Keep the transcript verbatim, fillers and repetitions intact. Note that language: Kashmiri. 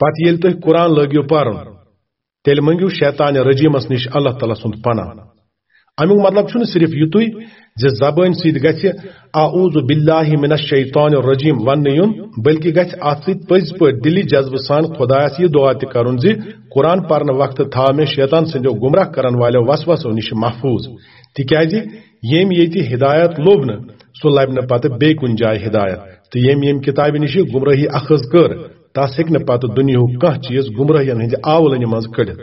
پتہٕ ییٚلہِ تُہۍ قرآن لٲگِو پرُن، تیٚلہِ مٔنگِو شیطان رجیمس نِش اللہ تعالیٰ سُنٛد پناہ۔ امیُک مطلب چھُنہٕ صرف یُتُے زِ زبٲنۍ سۭتۍ گژھِ "اعوذ باللہ من الشیطان الرجیم" وننہٕ یُن، بلکہِ گژھِ اتھ سۭتۍ پٔزۍ پٲٹھۍ دِلی جذبہٕ سان خدایس یہِ دعا تہِ کرُن زِ "قرآن پرنہٕ وقتہٕ تھاو مےٚ شیطان سٕنٛدیو گمراہ کرن والیو وسوسو نِش محفوظ"، تِکیازِ ییٚمۍ ییٚتہِ ہدایت لوٚب نہٕ، سُہ لبہِ نہٕ پتہٕ بیٚیہِ کُنہِ جایہِ ہدایت، تہٕ ییٚمۍ ییٚمہِ کتابہِ نِش گمراہی اخذ کٔر، تس ہیٚکہِ نہٕ پتہٕ دُنیاہُک کانٛہہ چیٖز گمراہین ہٕنٛدِ آولٕنہِ منٛز کٔڑِتھ۔